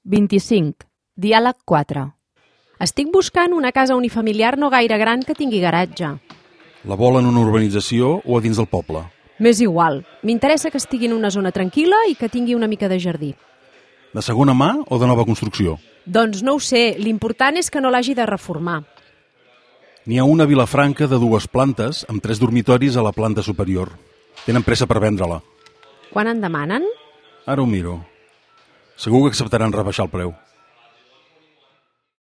25. Diàleg 4. Estic buscant una casa unifamiliar no gaire gran que tingui garatge. La vol en una urbanització o a dins del poble? M'és igual. M'interessa que estigui en una zona tranquil·la i que tingui una mica de jardí. De segona mà o de nova construcció? Doncs no ho sé. L'important és que no l'hagi de reformar. N'hi ha una a Vilafranca de 2 plantes amb 3 dormitoris a la planta superior. Tenen pressa per vendre-la. Quan en demanen? Ara ho miro. Segur que acceptaran rebaixar el preu.